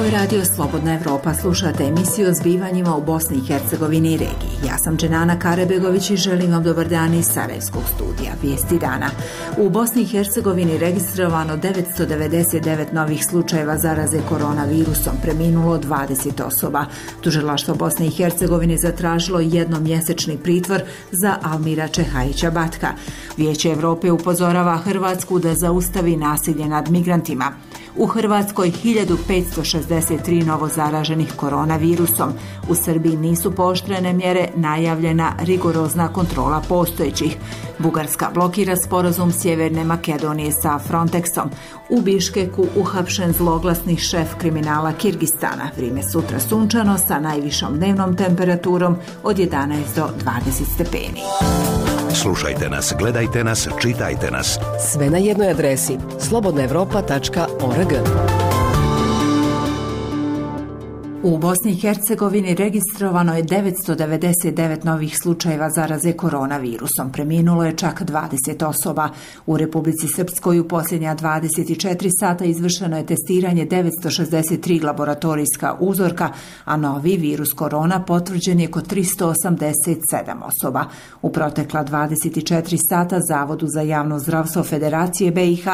Ovo je radio Slobodna Evropa. Slušate emisiju o zbivanjima u Bosni i Hercegovini i regiji. Ja sam Dženana Karebegović i želim vam dobar dan iz Sarajevskog studija. Vijesti dana. U Bosni i Hercegovini registrovano 999 novih slučajeva zaraze koronavirusom, preminulo 20 osoba. Tužilaštvo Bosne i Hercegovine zatražilo jednomjesečni pritvor za Almira Čehajića Batka. Vijeće Evrope upozorava Hrvatsku da zaustavi nasilje nad migrantima. U Hrvatskoj 1563 novo zaraženih koronavirusom. U Srbiji nisu pooštrene mjere, najavljena rigorozna kontrola postojećih. Bugarska blokira sporazum Sjeverne Makedonije sa Frontexom. U Biškeku uhapšen zloglasni šef kriminala Kirgistana. Vrijeme sutra sunčano sa najvišom dnevnom temperaturom od 11 do 20 stepeni. Slušajte nas, gledajte nas, čitajte nas. Sve na jednoj adresi slobodnaevropa.org. U Bosni i Hercegovini registrovano je 999 novih slučajeva zaraze koronavirusom. Preminulo je čak 20 osoba. U Republici Srpskoj u posljednja 24 sata izvršeno je testiranje 963 laboratorijska uzorka, a novi virus korona potvrđen je kod 387 osoba. U protekla 24 sata Zavodu za javno zdravstvo Federacije BiH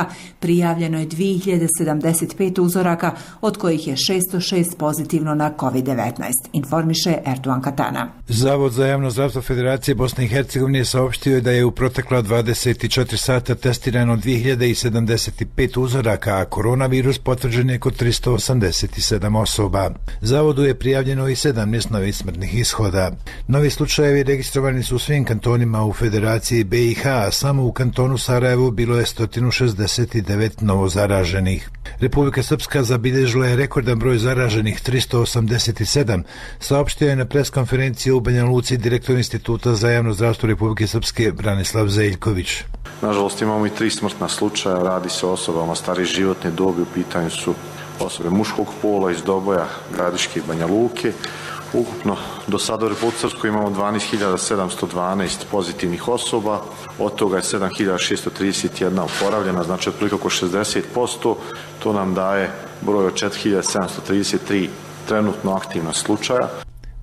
prijavljeno je 2075 uzoraka, od kojih je 606 pozitivno na COVID-19, informiše Erdogan Katana. Zavod za javno zdravstvo Federacije Bosne i Hercegovine saopštio je da je u protekla 24 sata testirano 2075 uzoraka, a koronavirus potvrđen je kod 387 osoba. Zavodu je prijavljeno i 17 novih smrtnih ishoda. Novi slučajevi registrovani su u svim kantonima u Federaciji BiH, a samo u kantonu Sarajevo bilo je 169 novo zaraženih. Republika Srpska zabilježila je rekordan broj zaraženih 387, saopštio je na preskonferenciji u Banja Luci direktor Instituta za javno zdravstvo Republike Srpske Branislav Zeljković. Nažalost imamo i 3 smrtna slučaja, radi se o osobama starije životne dobi, u pitanju su osobe muškog pola iz Doboja, Gradiške i Banja Luke. Ukupno do sada u Republici Srpskoj imamo 12.712 pozitivnih osoba, od toga je 7.631 oporavljena, znači otprilike oko 60%, to nam daje broj od 4.733 trenutno aktivna slučaja.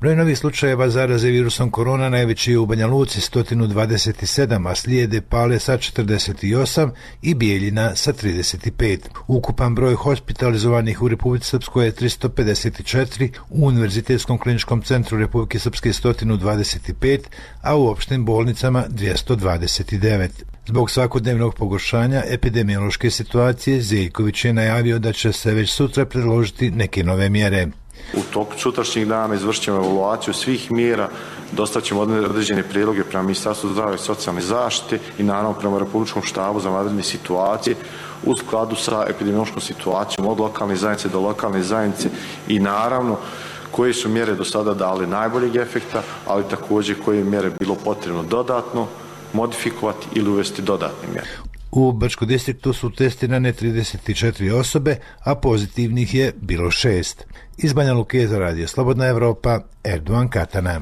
Broj novih slučajeva zaraze virusom korona najveći je u Banja Luci 127, a slijede Pale sa 48 i Bijeljina sa 35. Ukupan broj hospitalizovanih u Republici Srpskoj je 354, u Univerzitetskom kliničkom centru Republike Srpske 125, a u opštim bolnicama 229. Zbog svakodnevnog pogoršanja epidemiološke situacije, Zeljković je najavio da će se već sutra predložiti neke nove mjere. U toku sutrašnjih dana izvršit ćemo evaluaciju svih mjera, dostavit određene prijedloge prema Ministarstvu zdravlja i socijalne zaštite i naravno prema Republičkom štabu za vanredne situacije u skladu sa epidemiološkom situacijom od lokalne zajednice do lokalne zajednice i naravno koje su mjere do sada dale najboljeg efekta, ali također koje mjere bilo potrebno dodatno modifikovati ili uvesti dodatne mjere. U Brčkom distriktu su testirane 34 osobe, a pozitivnih je bilo 6. Iz Banja Luke za radio Slobodna Evropa, Erdogan Katana.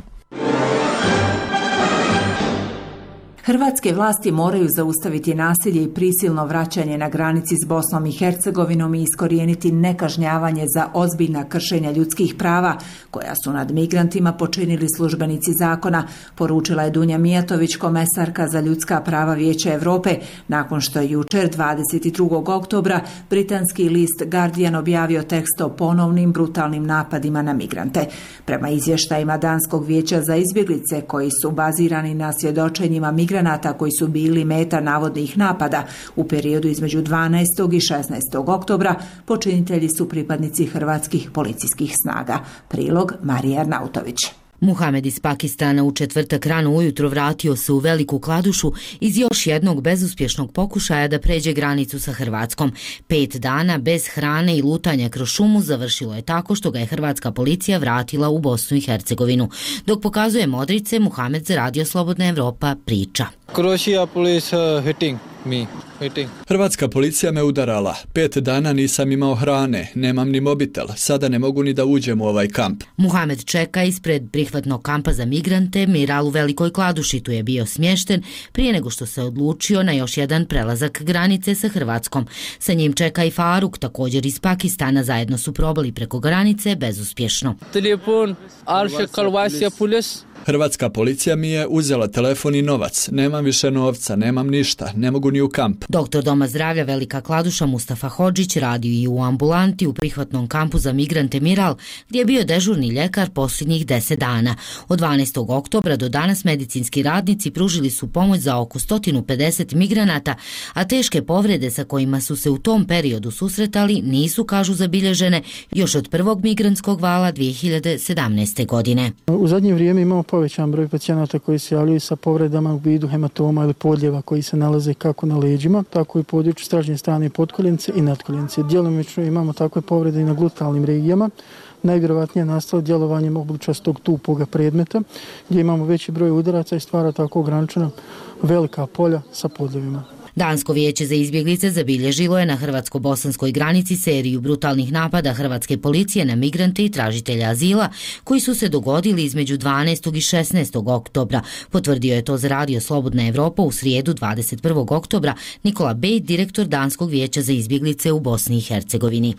Hrvatske vlasti moraju zaustaviti nasilje i prisilno vraćanje na granici s Bosnom i Hercegovinom i iskorijeniti nekažnjavanje za ozbiljna kršenja ljudskih prava koja su nad migrantima počinili službenici zakona, poručila je Dunja Mijatović, komesarka za ljudska prava Vijeća Europe, nakon što je jučer 22. oktobra britanski list Guardian objavio tekst o ponovnim brutalnim napadima na migrante. Prema izvještajima Danskog vijeća za izbjeglice koji su bazirani na svjedočenjima migranata koji su bili meta navodnih napada u periodu između 12. i 16. oktobra, počinitelji su pripadnici hrvatskih policijskih snaga. Prilog Marija Arnautović. Muhamed iz Pakistana u četvrtak rano ujutro vratio se u Veliku Kladušu iz još jednog bezuspješnog pokušaja da pređe granicu sa Hrvatskom. 5 dana bez hrane i lutanja kroz šumu završilo je tako što ga je hrvatska policija vratila u Bosnu i Hercegovinu. Dok pokazuje modrice, Muhamed za radio Slobodna Evropa priča. Croatia police hitting Hrvatska policija me udarala. 5 dana nisam imao hrane, nemam ni mobitel, sada ne mogu ni da uđem u ovaj kamp. Muhamed čeka ispred prihvatnog kampa za migrante Miral u Velikoj Kladuši. Tu je bio smješten prije nego što se odlučio na još jedan prelazak granice sa Hrvatskom. Sa njim čeka i Faruk, također iz Pakistana. Zajedno su probali preko granice bezuspješno. Hrvatska policija mi je uzela telefon i novac. Nemam više novca, nemam ništa, ne mogu ni u kamp. Doktor Doma zdravlja Velika Kladuša Mustafa Hodžić radio i u ambulanti u prihvatnom kampu za migrante Miral, gdje je bio dežurni ljekar posljednjih 10 dana. Od 12. oktobra do danas medicinski radnici pružili su pomoć za oko 150 migranata, a teške povrede sa kojima su se u tom periodu susretali nisu, kažu, zabilježene još od prvog migrantskog vala 2017. godine. U zadnje vrijeme imamo povećan broj pacijenata koji se javljaju sa povredama u vidu hematoma ili podljeva koji se nalaze kako na leđima, tako i u području stražnje strane potkoljenice i nadkoljenice. Djelomično imamo takve povrede i na glutalnim regijama, najvjerovatnije nastalo djelovanjem obličastog tupoga predmeta, gdje imamo veći broj udaraca i stvara tako ograničena velika polja sa podljevima. Dansko vijeće za izbjeglice zabilježilo je na hrvatsko-bosanskoj granici seriju brutalnih napada hrvatske policije na migrante i tražitelja azila koji su se dogodili između 12. i 16. oktobra. Potvrdio je to za radio Slobodna Evropa u srijedu 21. oktobra Nikola Bej, direktor Danskog vijeća za izbjeglice u Bosni i Hercegovini.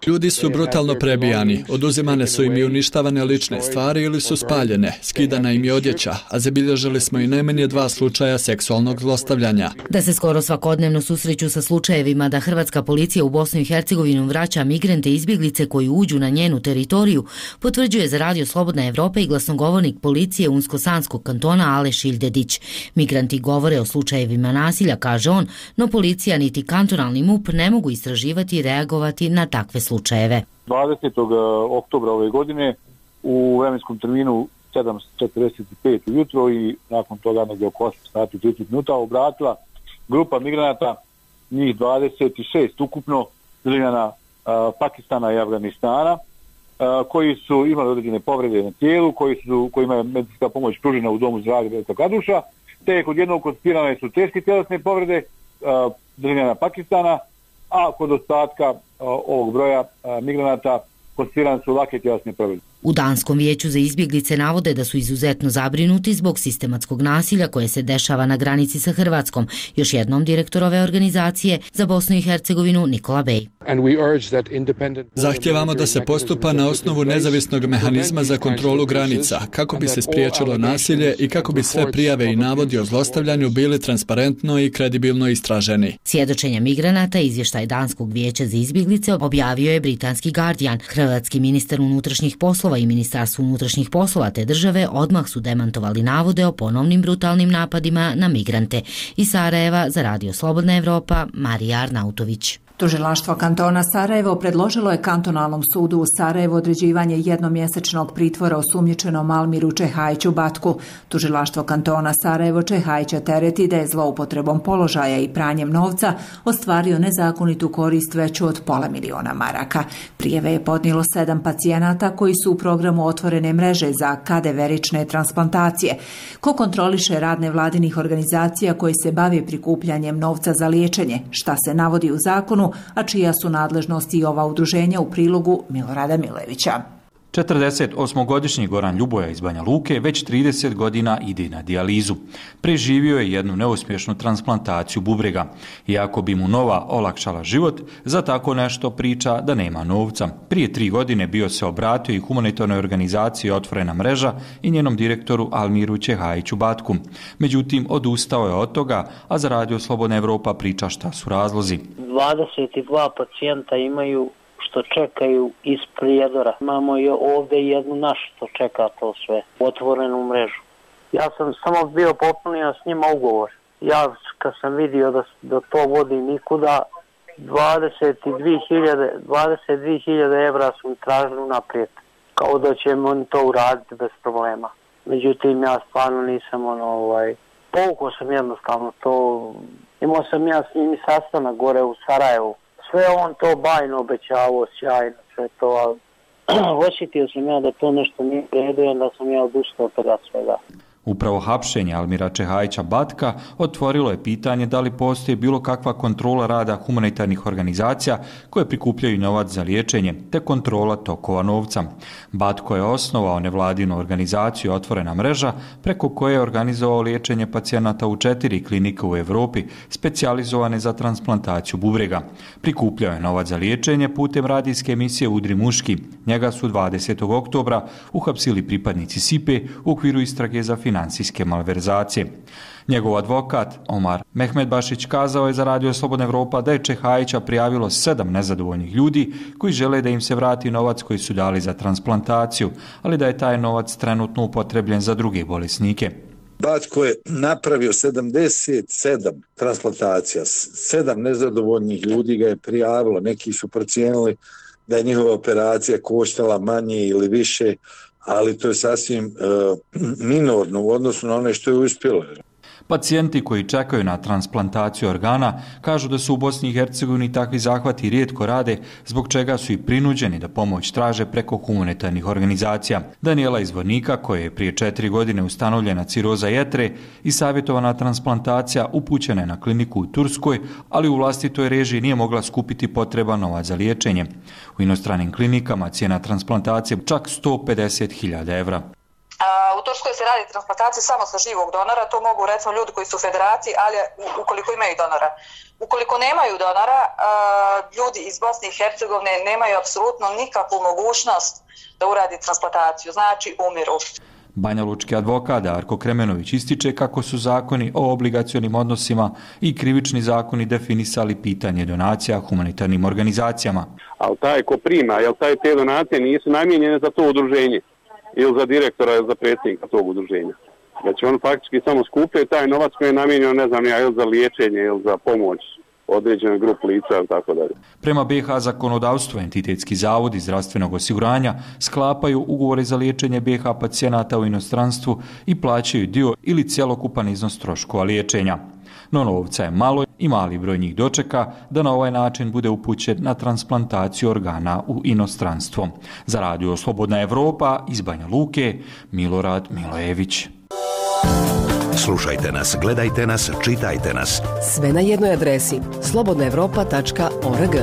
Ljudi su brutalno prebijani, oduzimane su im i uništavane lične stvari ili su spaljene, skidana im je odjeća, a zabilježili smo i najmanje 2 slučaja seksualnog zlostavljanja. Da se skoro svakodnevno susreću sa slučajevima da hrvatska policija u Bosnu i Hercegovinu vraća migrante i izbjeglice koji uđu na njenu teritoriju, potvrđuje za radio Slobodna Evropa i glasnogovornik policije Unsko-Sanskog kantona Aleš Iljedić. Migranti govore o slučajevima nasilja, kaže on, no policija niti kantonalni MUP ne mogu istraživati i reagovati na takve slučajeve. 20. oktobra ove godine u vremenskom terminu 7:45 ujutro i nakon toga negdje oko 8 sati 30 minuta obratila grupa migranata, njih 26 ukupno, državljana Pakistana i Afganistana, koji su imali određene povrede na tijelu, kojima je medicinska pomoć pružena u domu zdravlja Velika Kladuša, te kod jednog konstatirane su teške tjelesne povrede državljana Pakistana, a kod ostatka ovog broja migranata konstatirane su lake tjelesne povrede. U Danskom vijeću za izbjeglice navode da su izuzetno zabrinuti zbog sistematskog nasilja koje se dešava na granici sa Hrvatskom. Još jednom direktor ove organizacije za Bosnu i Hercegovinu Nikola Bej. Zahtijevamo da se postupa na osnovu nezavisnog mehanizma za kontrolu granica, kako bi se spriječilo nasilje i kako bi sve prijave i navodi o zlostavljanju bili transparentno i kredibilno istraženi. Svjedočenja migranata i izvještaj Danskog vijeća za izbjeglice objavio je britanski Guardian. Hrvatski ministar unutrašnjih poslova i Ministarstvo unutrašnjih poslova te države odmah su demantovali navode o ponovnim brutalnim napadima na migrante. Iz Sarajeva za radio Slobodna Evropa, Marija Arnautović. Tužilaštvo kantona Sarajevo predložilo je kantonalnom sudu u Sarajevu određivanje jednomjesečnog pritvora osumnjičenom Almiru Čehajiću Batku. Tužilaštvo kantona Sarajevo Čehajića tereti da je zloupotrebom položaja i pranjem novca ostvario nezakonitu korist veću od $500.000 maraka. Prijave je podnijelo 7 pacijenata koji su u programu otvorene mreže za kadeverične transplantacije. Ko kontroliše rad nevladinih organizacija koji se bave prikupljanjem novca za liječenje, šta se navodi u zakonu, a čija su nadležnosti i ova udruženja u prilogu Milorada Milevića. 48-godišnji Goran Ljuboja iz Banja Luke već 30 godina ide na dijalizu. Preživio je jednu neuspješnu transplantaciju bubrega. Iako bi mu nova olakšala život, za tako nešto priča da nema novca. Prije 3 godine bio se obratio i humanitarnoj organizaciji Otvorena mreža i njenom direktoru Almiru Čehajiću Batku. Međutim, odustao je od toga, a za radio Slobodna Evropa priča šta su razlozi. 22 pacijenta imaju što čekaju iz Prijedora. Imamo i ovdje jednu našu što čeka to sve, otvorenu mrežu. Ja sam samo bio popunio s njima ugovor. Ja kad sam vidio da to vodi nikuda, 22.000 evra su mi tražili naprijed. Kao da će oni to uraditi bez problema. Međutim, ja stvarno nisam povukao sam jednostavno to. Imao sam ja s njimi sastanak gore u Sarajevu. Sve on to bajno obećavao, sjajno, sve to, ali osjetio sam ja da to nešto nije redu i da sam ja odustao toga svega. Upravo hapšenje Almira Čehajića Batka otvorilo je pitanje da li postoji bilo kakva kontrola rada humanitarnih organizacija koje prikupljaju novac za liječenje, te kontrola tokova novca. Batko je osnovao nevladinu organizaciju Otvorena mreža, preko koje je organizovao liječenje pacijenata u 4 klinike u Europi, specijalizovane za transplantaciju bubrega. Prikupljao je novac za liječenje putem radijske emisije Udri muški. Njega su 20. oktobra uhapsili pripadnici SIPE u okviru istrage za financijske malverzacije. Njegov advokat Omar Mehmedbašić kazao je za Radio Slobodna Evropa da je Čehajića prijavilo 7 nezadovoljnih ljudi koji žele da im se vrati novac koji su dali za transplantaciju, ali da je taj novac trenutno upotrebljen za druge bolesnike. Batko je napravio 77 transplantacija, 7 nezadovoljnih ljudi ga je prijavilo, neki su procijenili da je njihova operacija koštala manje ili više, ali to je sasvim minorno u odnosu na ono što je uspjelo. Pacijenti koji čekaju na transplantaciju organa kažu da su u Bosni i Hercegovini takvi zahvati rijetko rade, zbog čega su i prinuđeni da pomoć traže preko humanitarnih organizacija. Daniela iz Vornika, koja je prije 4 godine ustanovljena ciroza jetre i savjetovana transplantacija, upućena je na kliniku u Turskoj, ali u vlastitoj režiji nije mogla skupiti potreban novac za liječenje. U inostranim klinikama cijena transplantacije čak 150.000 evra. U Turskoj se radi transplantacija samo sa živog donora, to mogu recimo ljudi koji su u federaciji, ali ukoliko imaju donora. Ukoliko nemaju donora, ljudi iz Bosne i Hercegovine nemaju apsolutno nikakvu mogućnost da uradi transplantaciju, znači umiru. Banjalučki advokat Darko Kremenović ističe kako su zakoni o obligacionim odnosima i krivični zakoni definisali pitanje donacija humanitarnim organizacijama. Ali taj ko prima, te donacije nisu namijenjene za to udruženje ili za direktora ili za predsjednika tog udruženja. Znači on faktički samo skupljaju taj novac koji je namijenjen, ne znam ja, ili za liječenje ili za pomoć određenoj grupi lica ili tako dalje. Prema BiH zakonodavstvu entitetski zavodi zdravstvenog osiguranja sklapaju ugovore za liječenje BiH pacijenata u inostranstvu i plaćaju dio ili cjelokupan iznos troškova liječenja. No novca je malo i mali broj njih dočeka da na ovaj način bude upućen na transplantaciju organa u inostranstvo. Za Radio Slobodna Evropa iz Banja Luke, Milorad Milojević. Slušajte nas, gledajte nas, čitajte nas. Sve na jednoj adresi slobodnaevropa.org.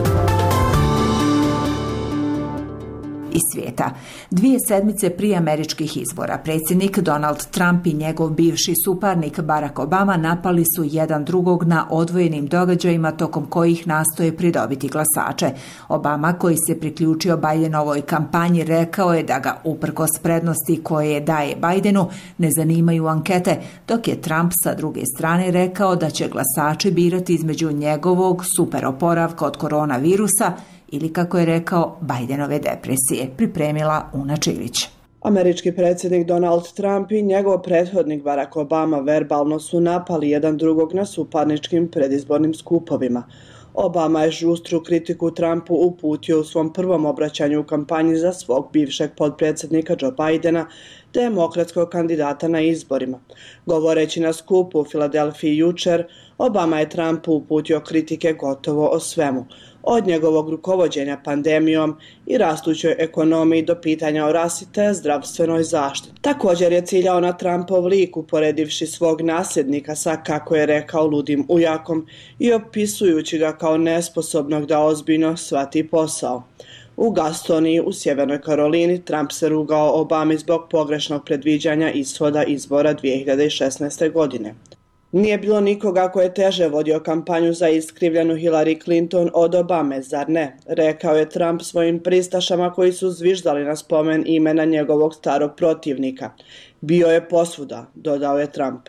Iz svijeta. 2 sedmice prije američkih izbora predsjednik Donald Trump i njegov bivši suparnik Barack Obama napali su jedan drugog na odvojenim događajima tokom kojih nastoje pridobiti glasače. Obama, koji se priključio Bidenovoj kampanji, rekao je da ga uprkos prednosti koje daje Bidenu ne zanimaju ankete, dok je Trump sa druge strane rekao da će glasači birati između njegovog superoporavka od koronavirusa ili, kako je rekao, Bidenove depresije. Pripremila Una Čilić. Američki predsjednik Donald Trump i njegov prethodnik Barack Obama verbalno su napali jedan drugog na suparničkim predizbornim skupovima. Obama je žustru kritiku Trumpu uputio u svom prvom obraćanju u kampanji za svog bivšeg potpredsjednika Joe Bidena, demokratskog kandidata na izborima. Govoreći na skupu u Filadelfiji jučer, Obama je Trumpu uputio kritike gotovo o svemu, od njegovog rukovođenja pandemijom i rastućoj ekonomiji do pitanja o rasi te zdravstvenoj zaštiti. Također je ciljao na Trumpov lik, uporedivši svog nasljednika sa, kako je rekao, ludim ujakom i opisujući ga kao nesposobnog da ozbiljno shvati posao. U Gastoniji u Sjevernoj Karolini Trump se rugao Obami zbog pogrešnog predviđanja ishoda izbora 2016. godine. Nije bilo nikoga ko je teže vodio kampanju za iskrivljenu Hillary Clinton od Obame, zar ne? Rekao je Trump svojim pristašama koji su zviždali na spomen imena njegovog starog protivnika. Bio je posvuda, dodao je Trump.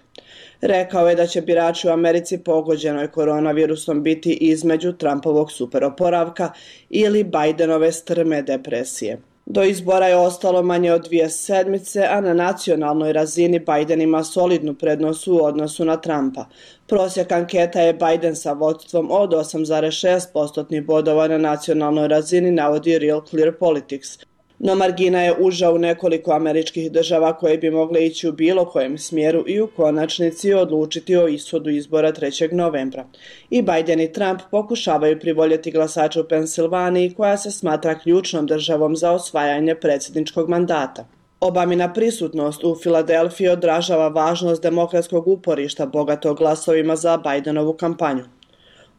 Rekao je da će birači u Americi pogođenoj koronavirusom biti između Trumpovog superoporavka ili Bidenove strme depresije. Do izbora je ostalo manje od 2 sedmice, a na nacionalnoj razini Biden ima solidnu prednost u odnosu na Trumpa. Prosjek anketa je Biden sa vodstvom od 8,6% bodova na nacionalnoj razini, navodi Real Clear Politics. No margina je uža u nekoliko američkih država koje bi mogle ići u bilo kojem smjeru i u konačnici odlučiti o ishodu izbora 3. novembra. I Biden i Trump pokušavaju privoljeti glasače u Pensilvaniji, koja se smatra ključnom državom za osvajanje predsjedničkog mandata. Obamina prisutnost u Filadelfiji odražava važnost demokratskog uporišta bogatog glasovima za Bidenovu kampanju.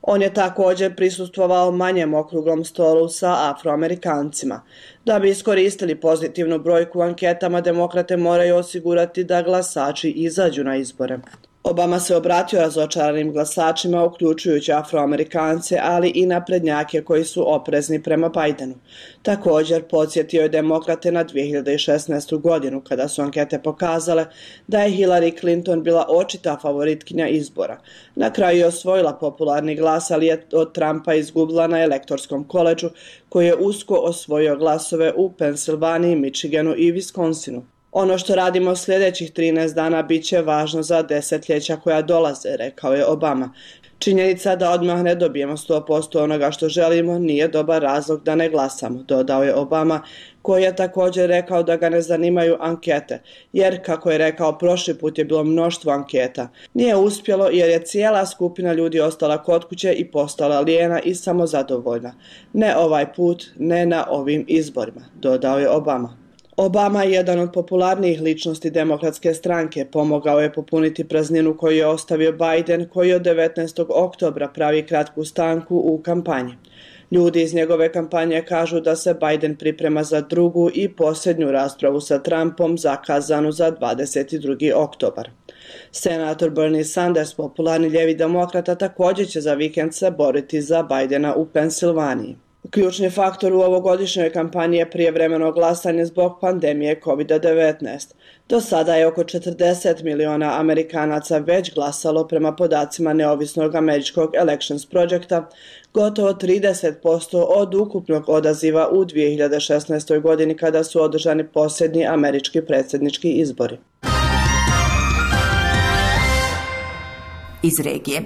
On je također prisustvovao manjem okruglom stolu sa Afroamerikancima. Da bi iskoristili pozitivnu brojku u anketama, demokrate moraju osigurati da glasači izađu na izbore. Obama se obratio razočaranim glasačima, uključujući Afroamerikance, ali i naprednjake koji su oprezni prema Bidenu. Također podsjetio je demokrate na 2016. godinu, kada su ankete pokazale da je Hillary Clinton bila očita favoritkinja izbora. Na kraju je osvojila popularni glas, ali je od Trumpa izgubila na elektorskom koledžu, koji je usko osvojio glasove u Pensilvaniji, Michiganu i Wisconsinu. Ono što radimo sljedećih 13 dana bit će važno za desetljeća koja dolaze, rekao je Obama. Činjenica da odmah ne dobijemo 100% onoga što želimo nije dobar razlog da ne glasamo, dodao je Obama, koji je također rekao da ga ne zanimaju ankete, jer, kako je rekao, prošli put je bilo mnoštvo anketa. Nije uspjelo jer je cijela skupina ljudi ostala kod kuće i postala lijena i samozadovoljna. Ne ovaj put, ne na ovim izborima, dodao je Obama. Obama je jedan od popularnijih ličnosti demokratske stranke, pomogao je popuniti prazninu koju je ostavio Biden, koji od 19. oktobra pravi kratku stanku u kampanji. Ljudi iz njegove kampanje kažu da se Biden priprema za drugu i posljednju raspravu sa Trumpom zakazanu za 22. oktobar. Senator Bernie Sanders, popularni ljevi demokrata, također će za vikend se boriti za Bidena u Pensilvaniji. Ključni faktor u ovogodišnjoj kampanji je prijevremeno glasanje zbog pandemije COVID-19. Do sada je oko 40 miliona Amerikanaca već glasalo prema podacima neovisnog američkog Elections Projecta, gotovo 30% od ukupnog odaziva u 2016. godini kada su održani posljednji američki predsjednički izbori. Iz regije.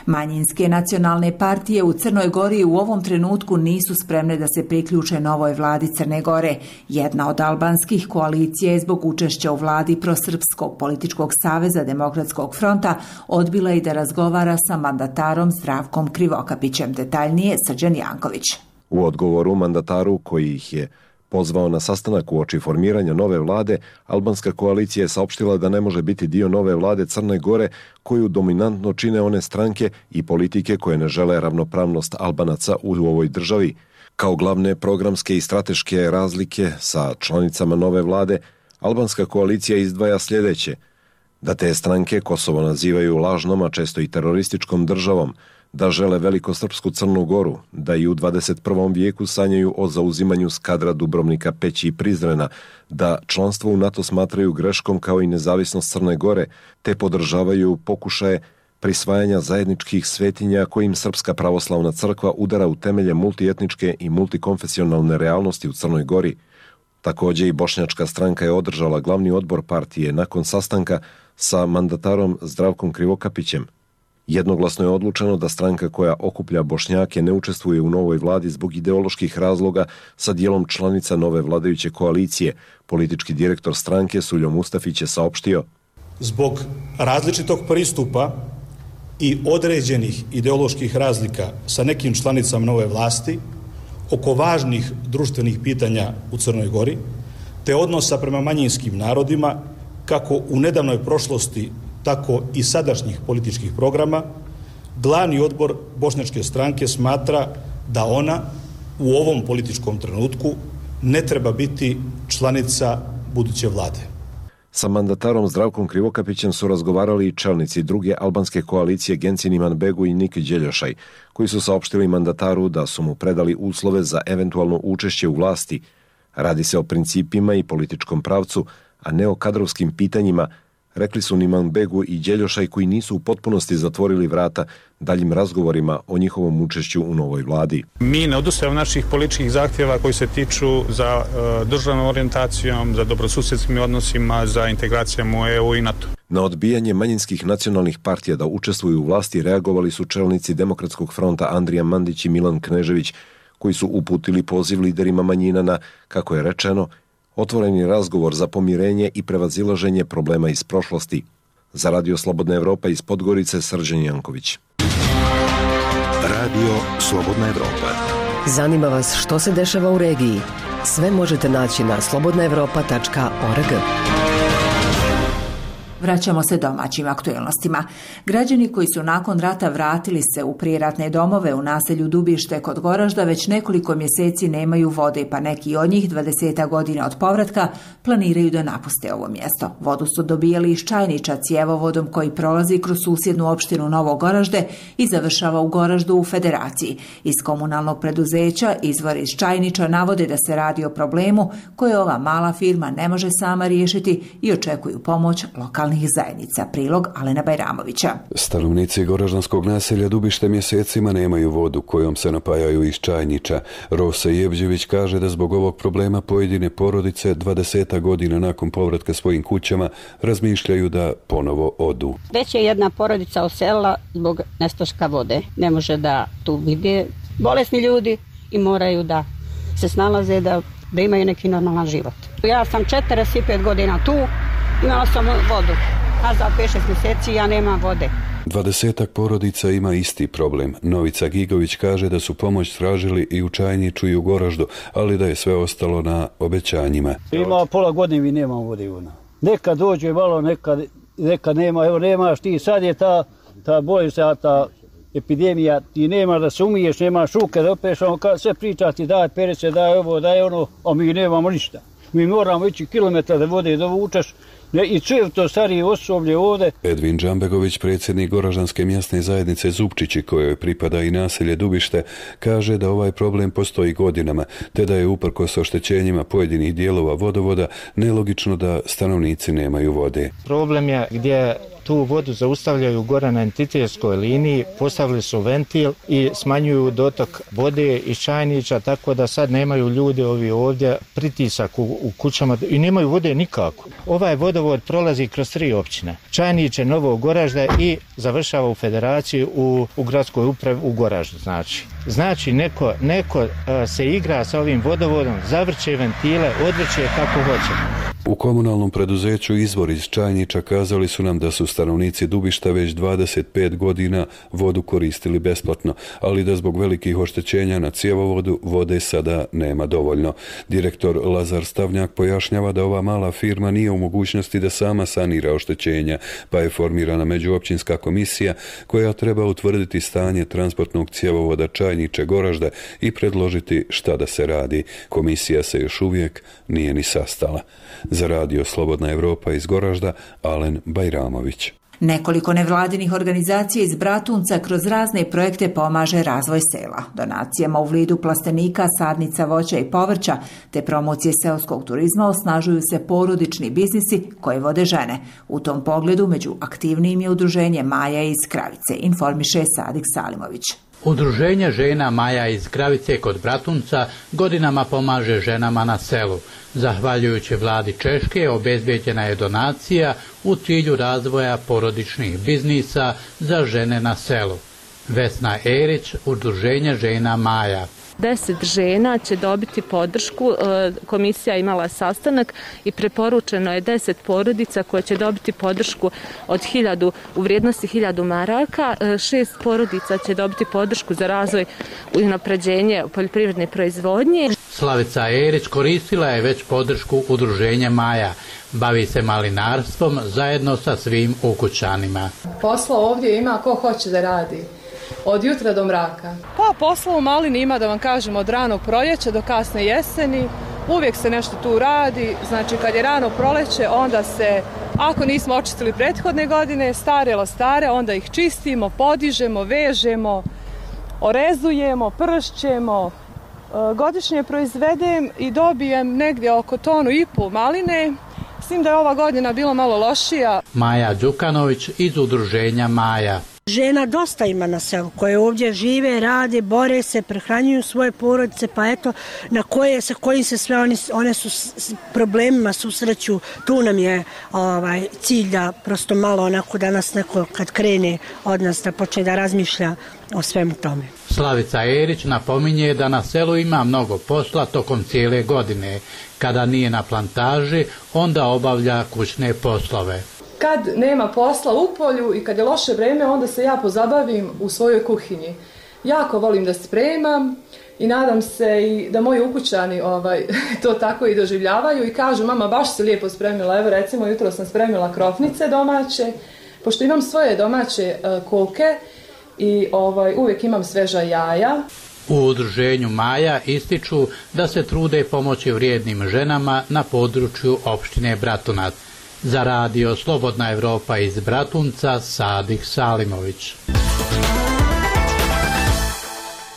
Manjinske nacionalne partije u Crnoj Gori u ovom trenutku nisu spremne da se priključe novoj vladi Crne Gore. Jedna od albanskih koalicija je zbog učešća u vladi Prosrpskog političkog saveza Demokratskog fronta odbila i da razgovara sa mandatarom Zdravkom Krivokapićem. Detaljnije Srđan Janković. U odgovoru mandataru koji ih je pozvao na sastanak uoči formiranja nove vlade, albanska koalicija je saopštila da ne može biti dio nove vlade Crne Gore koju dominantno čine one stranke i politike koje ne žele ravnopravnost Albanaca u ovoj državi. Kao glavne programske i strateške razlike sa članicama nove vlade, albanska koalicija izdvaja sljedeće: da te stranke Kosovo nazivaju lažnom, a često i terorističkom državom, da žele velikosrpsku Crnu Goru, da i u 21. vijeku sanjaju o zauzimanju Skadra, Dubrovnika, Peći i Prizrena, da članstvo u NATO smatraju greškom kao i nezavisnost Crne Gore, te podržavaju pokušaje prisvajanja zajedničkih svetinja kojim Srpska pravoslavna crkva udara u temelje multietničke i multikonfesionalne realnosti u Crnoj Gori. Također i bošnjačka stranka je održala glavni odbor partije nakon sastanka sa mandatarom Zdravkom Krivokapićem. Jednoglasno je odlučeno da stranka koja okuplja Bošnjake ne učestvuje u novoj vladi zbog ideoloških razloga sa dijelom članica nove vladajuće koalicije. Politički direktor stranke Suljo Mustafić je saopštio: zbog različitog pristupa i određenih ideoloških razlika sa nekim članicama nove vlasti oko važnih društvenih pitanja u Crnoj Gori, te odnosa prema manjinskim narodima, kako u nedavnoj prošlosti, tako i sadašnjih političkih programa, glavni odbor bošnjačke stranke smatra da ona u ovom političkom trenutku ne treba biti članica buduće vlade. Sa mandatarom Zdravkom Krivokapićem su razgovarali i čelnici druge albanske koalicije Gencin Imanbegu i Nik Đeljošaj, koji su saopštili mandataru da su mu predali uslove za eventualno učešće u vlasti. Radi se o principima i političkom pravcu, a ne o kadrovskim pitanjima, rekli su Imanbegu i Đeljošaj, koji nisu u potpunosti zatvorili vrata daljim razgovorima o njihovom učešću u novoj vladi. Mi ne odustajemo naših političkih zahtjeva koji se tiču za državnom orijentacijom, za dobrosusjedskim odnosima, za integracijom u EU i NATO. Na odbijanje manjinskih nacionalnih partija da učestvuju u vlasti reagovali su čelnici Demokratskog fronta Andrija Mandić i Milan Knežević, koji su uputili poziv liderima manjina na, kako je rečeno, otvoreni razgovor za pomirenje i prevazilaženje problema iz prošlosti. Za Radio Slobodna Evropa iz Podgorice, Srđan Janković. Radio Slobodna Evropa. Zanima vas što se dešava u regiji? Sve možete naći na slobodnaevropa.org. Vraćamo se domaćim aktuelnostima. Građani koji su nakon rata vratili se u prijeratne domove u naselju Dubište kod Goražda već nekoliko mjeseci nemaju vode, pa neki od njih 20 godina od povratka planiraju da napuste ovo mjesto. Vodu su dobijali iz čajniča cjevovodom koji prolazi kroz susjednu opštinu Novo Goražde i završava u Goraždu u Federaciji. Iz komunalnog preduzeća izvori iz čajniča navode da se radi o problemu koje ova mala firma ne može sama riješiti i očekuju pomoć lokalnih zajednica. Prilog Alena Bajramovića. Stanovnici goraždanskog naselja Dubište mjesecima nemaju vodu kojom se napajaju iz čajniča. Rosa Jevđević kaže da zbog ovog problema pojedine porodice 20 godina nakon povratka svojim kućama razmišljaju da ponovo odu. Već je jedna porodica oselila zbog nestaška vode. Ne može da tu vide bolesni ljudi i moraju da se snalaze da imaju neki normalan život. Ja sam 45 godina tu, imala sam vodu, a za 5-6 mjeseci ja nemam vode. 20 porodica ima isti problem. Novica Gigović kaže da su pomoć tražili i u Čajniču i u Goraždu, ali da je sve ostalo na obećanjima. Ima pola godine mi nemamo vode. Nekad dođe malo, nekad nema. Evo nemaš ti, sad je ta bolest, ta epidemija, ti nemaš da se umiješ, nemaš ruke da opeš, sve pričati, daj perece, daj ovo, daj ono, a mi nemamo ništa. Mi moramo ići kilometra da vode dovučeš i sve to starije osoblje ovdje. Edvin Džambegović, predsjednik Goraždanske mjesne zajednice Zupčići, kojoj pripada i naselje Dubište, kaže da ovaj problem postoji godinama, te da je uprkos oštećenjima pojedinih dijelova vodovoda nelogično da stanovnici nemaju vode. Problem je gdje tu vodu zaustavljaju gore na entitetskoj liniji, postavili su ventil i smanjuju dotok vode iz čajniča, tako da sad nemaju ljudi ovi ovdje pritisak u kućama i nemaju vode nikako. Ovaj vodovod prolazi kroz 3 općine. Čajniče, Novo Goražde i završava u Federaciji u gradskoj upravi u Goraždu. Znači neko se igra sa ovim vodovodom, zavrće ventile, odvrće kako hoće. U komunalnom preduzeću Izvor iz Čajniča kazali su nam da su stanovnici Dubišta već 25 godina vodu koristili besplatno, ali da zbog velikih oštećenja na cjevovodu vode sada nema dovoljno. Direktor Lazar Stavnjak pojašnjava da ova mala firma nije u mogućnosti da sama sanira oštećenja, pa je formirana međuopćinska komisija koja treba utvrditi stanje transportnog cjevovoda Čajniče Goražde i predložiti šta da se radi. Komisija se još uvijek nije ni sastala. Za radio Slobodna Evropa iz Goražda, Alen Bajramović. Nekoliko nevladinih organizacija iz Bratunca kroz razne projekte pomaže razvoj sela. Donacijama u vidu plastenika, sadnica voća i povrća te promocije seoskog turizma osnažuju se porodični biznisi koje vode žene. U tom pogledu među aktivnijim je udruženje Maja iz Kravice, informiše Sadik Salimović. Udruženje žena Maja iz Kravice kod Bratunca godinama pomaže ženama na selu. Zahvaljujući vladi Češke obezbeđena je donacija u cilju razvoja porodičnih biznisa za žene na selu. Vesna Erić, Udruženje žena Maja. 10 žena će dobiti podršku, komisija imala sastanak i preporučeno je 10 porodica koje će dobiti podršku od 1000 u vrijednosti 1000 maraka, 6 porodica će dobiti podršku za razvoj i unapređenje poljoprivredne proizvodnje. Slavica Erić koristila je već podršku Udruženja Maja. Bavi se malinarstvom zajedno sa svim ukućanima. Posla ovdje ima ko hoće da radi. Od jutra do mraka. Pa posla u malini ima, da vam kažem, od ranog proljeća do kasne jeseni. Uvijek se nešto tu radi. Znači kad je rano proleće, onda se, ako nismo očistili prethodne godine, stare, onda ih čistimo, podižemo, vežemo, orezujemo, pršćemo. Godišnje proizvedem i dobijem negdje oko 1,5 tonu maline. S tim da je ova godina bila malo lošija. Maja Đukanović iz Udruženja Maja. Žena dosta ima na selu koje ovdje žive, rade, bore se, prehranjuju svoje porodice, pa eto sa kojim se sve one su s problemima susreću. Tu nam je cilj da prosto malo onako da nas neko kad krene od nas da počne da razmišlja o svemu tome. Slavica Erić napominje da na selu ima mnogo posla tokom cijele godine. Kada nije na plantaži, onda obavlja kućne poslove. Kad nema posla u polju i kad je loše vreme, onda se ja pozabavim u svojoj kuhinji. Jako volim da spremam i nadam se i da moji ukućani to tako i doživljavaju i kažu mama baš si lijepo spremila, evo recimo jutro sam spremila krofnice domaće, pošto imam svoje domaće koke i uvijek imam sveža jaja. U udruženju Maja ističu da se trude pomoći vrijednim ženama na području opštine Bratunac. Za radio Slobodna Evropa iz Bratunca, Sadih Salimović.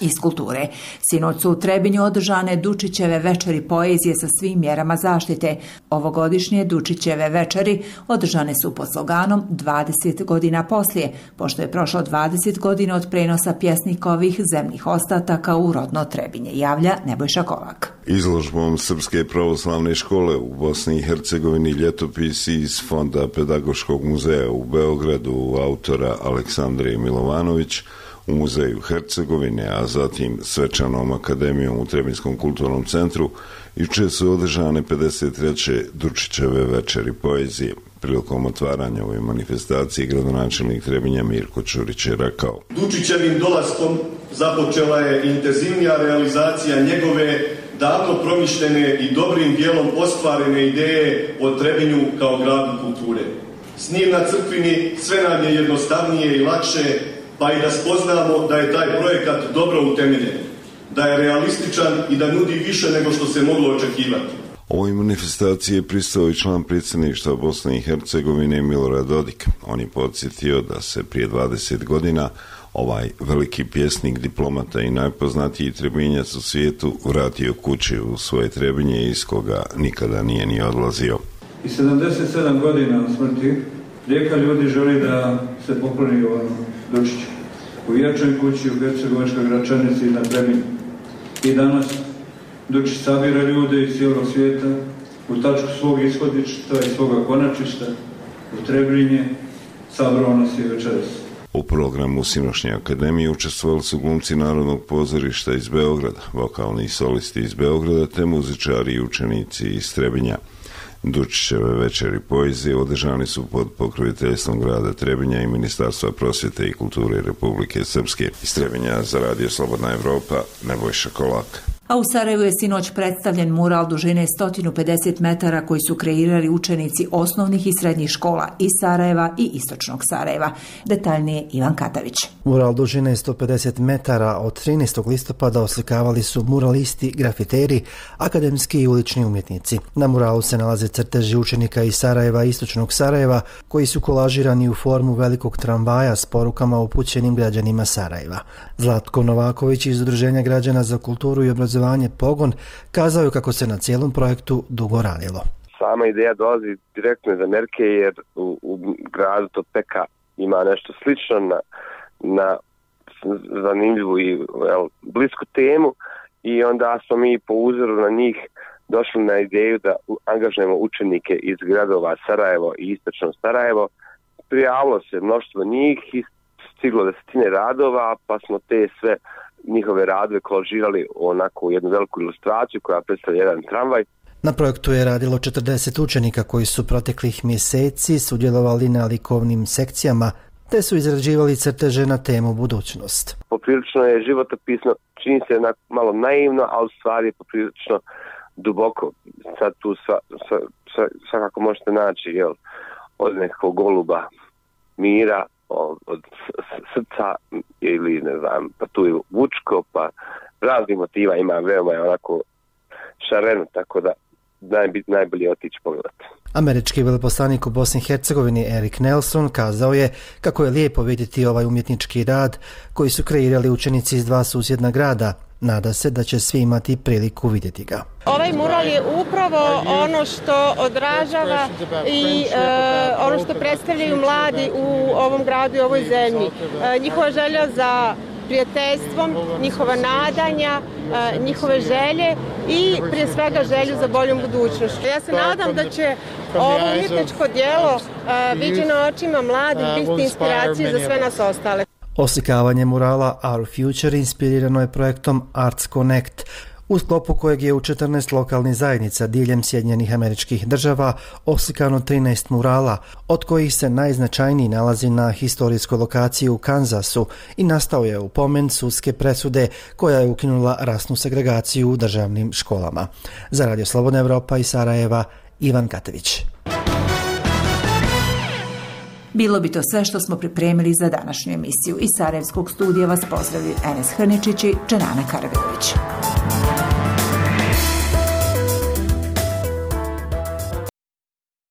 Iz kulture. Sinoć su u Trebinju održane Dučićeve večeri poezije sa svim mjerama zaštite. Ovogodišnje Dučićeve večeri održane su pod sloganom 20 godina poslije, pošto je prošlo 20 godina od prenosa pjesnikovih zemnih ostataka u rodno Trebinje, javlja Nebojša Kolak. Izložbom Srpske pravoslavne škole u Bosni i Hercegovini ljetopisi iz Fonda Pedagoškog muzeja u Beogradu autora Aleksandre Milovanović, u Muzeju Hercegovine, a zatim Svečanom akademijom u Trebinskom kulturnom centru, jučer su održane 53. Dučićeve večeri poezije. Prilikom otvaranja ove manifestacije gradonačelnik Trebinja Mirko Ćurić je rekao: Dučićevim dolaskom započela je intenzivnija realizacija njegove davno promišljene i dobrim dijelom ostvarene ideje o Trebinju kao gradu kulture. S njim na crkvini sve nam je jednostavnije i lakše, pa i da spoznamo da je taj projekat dobro utemeljen, da je realističan i da nudi više nego što se moglo očekivati. Ovoj manifestaciji je pristao i član predsjedništva Bosne i Hercegovine Milorad Dodik. On je podsjetio da se prije 20 godina ovaj veliki pjesnik, diplomata i najpoznatiji Trebinjac u svijetu vratio kući u svoje Trebinje iz koga nikada nije ni odlazio. I 77 godina od smrti rijeka ljudi želi da se pokloni ovom Dučiću u vječnoj kući u Hercegovačkoj Gračanici na Trebinju. I danas Dučić sabira ljude iz cijelog svijeta u tačku svog ishodišta i svoga konačišta u Trebinje, sabrao nas je večeras. U programu sinoćnje akademije učestvovali su glumci Narodnog pozorišta iz Beograda, vokalni solisti iz Beograda te muzičari i učenici iz Trebinja. Dučićeve večeri poezije održani su pod pokroviteljstvom grada Trebinja i Ministarstva prosvjete i kulture Republike Srpske. Iz Trebinja za radio Slobodna Evropa, Nebojša Kolak. A u Sarajevu je sinoć predstavljen mural dužine 150 metara koji su kreirali učenici osnovnih i srednjih škola iz Sarajeva i istočnog Sarajeva. Detaljnije Ivan Katavić. Mural dužine 150 metara od 13. listopada oslikavali su muralisti, grafiteri, akademski i ulični umjetnici. Na muralu se nalaze crteži učenika iz Sarajeva i istočnog Sarajeva koji su kolažirani u formu velikog tramvaja s porukama upućenim građanima Sarajeva. Zlatko Novaković iz Udruženja građana za kulturu i obrazovanje Pogon kazao je kako se na cijelom projektu dugo radilo. Sama ideja dolazi direktno iz Amerike jer u gradu Topeka ima nešto slično na zanimljivu i blisku temu i onda smo mi po uzoru na njih došli na ideju da angažujemo učenike iz gradova Sarajevo i istočno Sarajevo. Prijavilo se mnoštvo njih i stiglo 10 radova, pa smo te sve njihove radove kolažirali onako u jednu veliku ilustraciju koja predstavlja jedan tramvaj. Na projektu je radilo 40 učenika koji su proteklih mjeseci sudjelovali na likovnim sekcijama te su izrađivali crteže na temu budućnost. Poprilično je životopisno, čini se malo naivno, ali u stvari je poprilično duboko. Sad tu svakako možete naći od nekog goluba mira, od srca ili ne znam, pa tu je vučko, pa raznih motiva ima, veoma je onako šareno, tako da najbolje otići pogledati. Američki veleposlanik u Bosni i Hercegovini Erik Nelson kazao je kako je lijepo vidjeti ovaj umjetnički rad koji su kreirali učenici iz 2 susjedna grada. Nada se da će svi imati priliku vidjeti ga. Ovaj mural je upravo ono što odražava i ono što predstavljaju mladi u ovom gradu i ovoj zemlji. Njihova želja za prijateljstvom, njihova nadanja, njihove želje i prije svega želju za boljom budućnošću. Ja se nadam da će ovo umjetničko djelo viđeno očima mladih biti inspiracija za sve nas ostale. Oslikavanje murala Our Future inspirirano je projektom Arts Connect. u sklopu kojeg je u 14 lokalnih zajednica diljem Sjedinjenih Američkih Država oslikano 13 murala, od kojih se najznačajniji nalazi na historijskoj lokaciji u Kansasu i nastao je u pomen sudske presude koja je ukinula rasnu segregaciju u državnim školama. Za Radio Slobodna Evropa iz Sarajeva, Ivan Katević. Bilo bi to sve što smo pripremili za današnju emisiju. Iz Sarajevskog studija vas pozdravljaju Enes Hrničić i Dženana Karabegović.